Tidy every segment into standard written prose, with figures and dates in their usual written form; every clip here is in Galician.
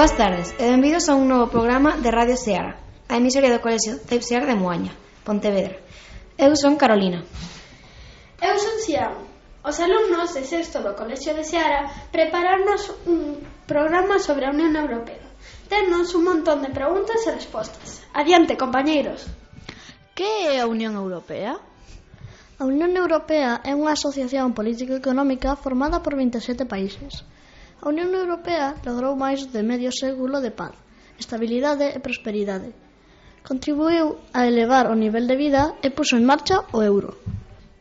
Boas tardes e benvidos a un novo programa de Radio Seara, a emisoria do Colexio CEIP Seara de Moaña, Pontevedra. Eu son Carolina. Eu son Xiao. Os alumnos de sexto do Colexio de Seara prepararnos un programa sobre a Unión Europea. Tennos un montón de preguntas e respostas. Adiante, compañeiros. Que é a Unión Europea? A Unión Europea é unha asociación política e económica formada por 27 países. A Unión Europea logrou máis de medio século de paz, estabilidade e prosperidade. Contribuiu a elevar o nivel de vida e puso en marcha o euro.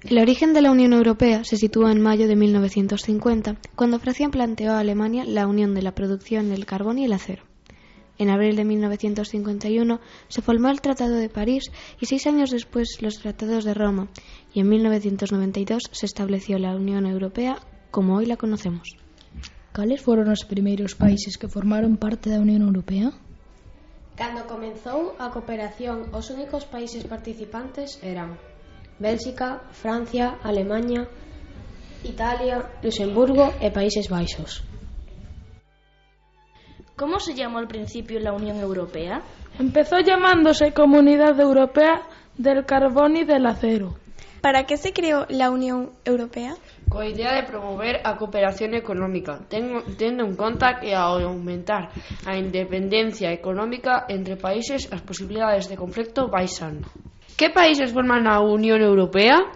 El origen de la Unión Europea se sitúa en mayo de 1950, cuando Francia planteó a Alemania la unión de la producción del carbón y el acero. En abril de 1951 se formó el Tratado de París y 6 años después los Tratados de Roma, y en 1992 se estableció la Unión Europea como hoy la conocemos. Cales foron os primeiros países que formaron parte da Unión Europea? Cando comezou a cooperación, os únicos países participantes eran Bélxica, Francia, Alemaña, Italia, Luxemburgo e Países Baixos. ¿Cómo se llamó al principio la Unión Europea? Empezó llamándose Comunidad Europea del Carbón y del Acero. ¿Para qué se creó la Unión Europea? Coa idea de promover a cooperación económica, tendo en conta que ao aumentar a independencia económica entre países as posibilidades de conflicto baixan. Que países forman a Unión Europea?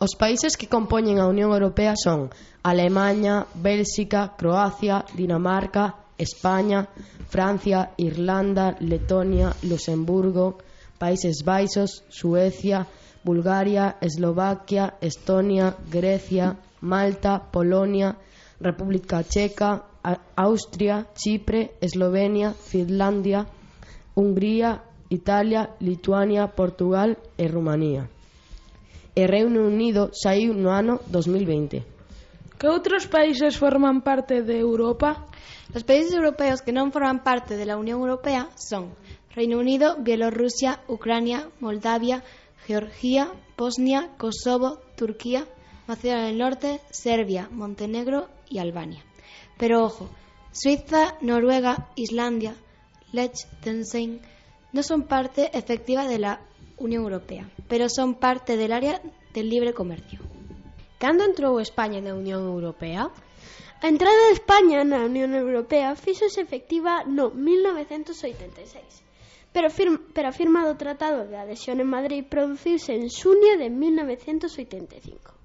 Os países que compoñen a Unión Europea son Alemaña, Bélxica, Croacia, Dinamarca, España, Francia, Irlanda, Letonia, Luxemburgo, Países Baixos, Suecia, Bulgaria, Eslovaquia, Estonia, Grecia, Malta, Polonia, República Checa, Austria, Chipre, Eslovenia, Finlandia, Hungría, Italia, Lituania, Portugal e Rumanía. E Reino Unido saiu no ano 2020. Que outros países forman parte de Europa? Los países europeos que non forman parte de la Unión Europea son Reino Unido, Bielorrusia, Ucrania, Moldavia, Georgia, Bosnia, Kosovo, Turquía, Macedonia del Norte, Serbia, Montenegro y Albania. Pero ojo, Suiza, Noruega, Islandia, Liechtenstein no son parte efectiva de la Unión Europea, pero son parte del área del libre comercio. Cando entrou España na Unión Europea? A entrada de España na Unión Europea fíxose efectiva no 1986. Pero a firma do Tratado de Adhesión en Madrid produciuse en xunio de 1985.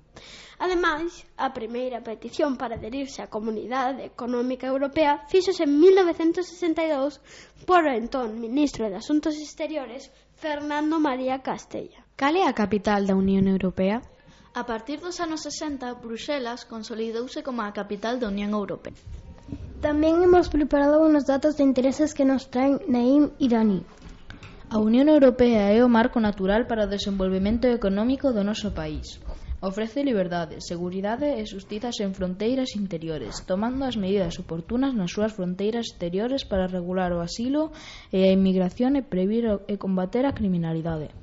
Ademais, a primeira petición para adherirse á Comunidade Económica Europea fíxose en 1962 por o entón ministro de Asuntos Exteriores Fernando María Castella. Cal é a capital da Unión Europea? A partir dos anos 60, Bruxelas consolidouse como a capital da Unión Europea. Tamén hemos preparado unos datos de intereses que nos traen Naim e Dani. A Unión Europea é o marco natural para o desenvolvemento económico do noso país. Ofrece liberdade, seguridade e xustiza en fronteiras interiores, tomando as medidas oportunas nas súas fronteiras exteriores para regular o asilo e a inmigración e previr e combater a criminalidade.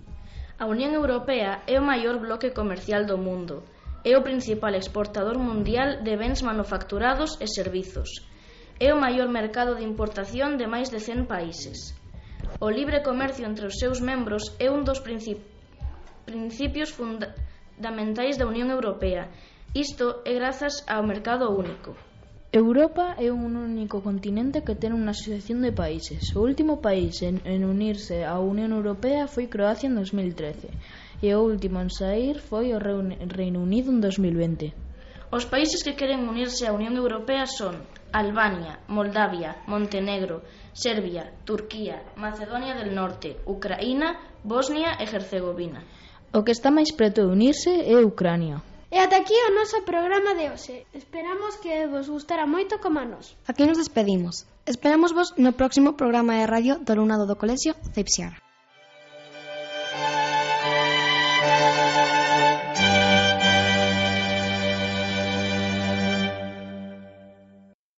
A Unión Europea é o maior bloque comercial do mundo. É o principal exportador mundial de bens manufacturados e servizos. É o maior mercado de importación de máis de 100 países. O libre comercio entre os seus membros é un dos principios fundamentais da Unión Europea. Isto é grazas ao mercado único. Europa é un único continente que ten unha asociación de países. O último país en unirse á Unión Europea foi Croacia en 2013 e o último en saír foi o Reino Unido en 2020. Os países que queren unirse á Unión Europea son Albania, Moldavia, Montenegro, Serbia, Turquía, Macedonia del Norte, Ucraína, Bosnia e Herzegovina. O que está máis preto de unirse é Ucrania. E ata aquí o noso programa de hoxe. Esperamos que vos gustara moito como a nos. Aquí nos despedimos. Esperamos vos no próximo programa de radio do alumnado do Colexio CEIP Seara.